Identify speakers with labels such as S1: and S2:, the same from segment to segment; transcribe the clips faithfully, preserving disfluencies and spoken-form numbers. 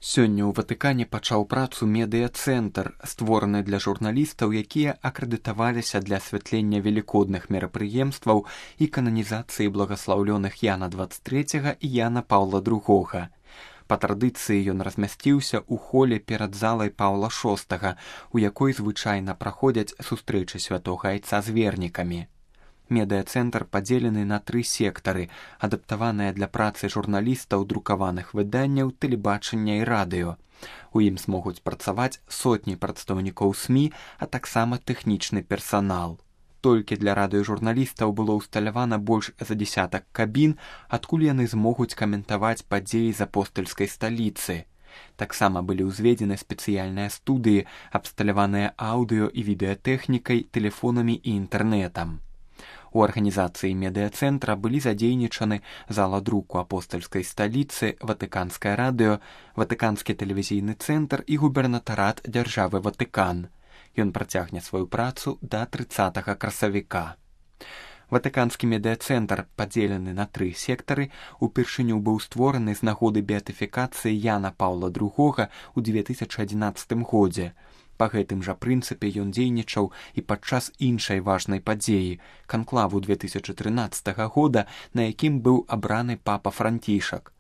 S1: Сёння ў Ватыкане пачаў працу медыа-цэнтр, створаны для журналістаў, якія акрэдытаваліся для асвятлення велікодных мерапрыемстваў і кананізацыі благаслаўлёных Яна дваццаць трэцяга і Яна Паўла другога. Па традыцыі ён размясціўся ў холе перад залай Паўла шостага, у якой звычайна праходзяць сустрэчы святога айца з вернікамі. Медыа-цэнтр падзелены на тры сектары, адаптаваныя для працы журналістаў друкаваных выданняў, тэлебачання і радыё. У ім змогуць працаваць сотні прадстаўнікоў СМІ, а таксама тэхнічны персанал. Толькі для радыёжурналістаў было ўсталявана больш за дзясятак кабін, адкуль яны змогуць каментаваць падзеі з апостальскай сталіцы. Таксама былі ўзведзены спецыяльныя студыі, абсталяваныя аўдыё і відэатэхнікай, тэлефонамі і інтэрнэтам. У арганізацыі медыа-цэнтра былі задзейнічаны зала друку апостальскай сталіцы, Ватыканскае радыё, Ватыканскі тэлевізійны цэнтр і губернатарат дзяржавы Ватыкан. Ён працягне сваю працу да трыццатага красавіка. Ватыканскі медыа-цэнтр, падзелены на тры сектары, упершыню быў створаны з нагоды беатыфікацыі Яна Паўла другога ў дзве тысячы адзінаццатым годзе. Па гэтым жа прынцыпе ён дзейнічаў і падчас іншай важнай падзеі, канклаву две тысячы трынаццатага года, на якім быў абраны папа Францішак.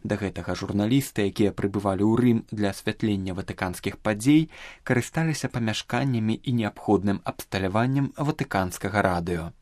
S1: Да гэтага журналісты, якія прыбывалі ў Рым для асвятлення ватыканскіх падзей, карысталіся памяшканнямі і неабходным абсталяваннем ватыканскага радыё.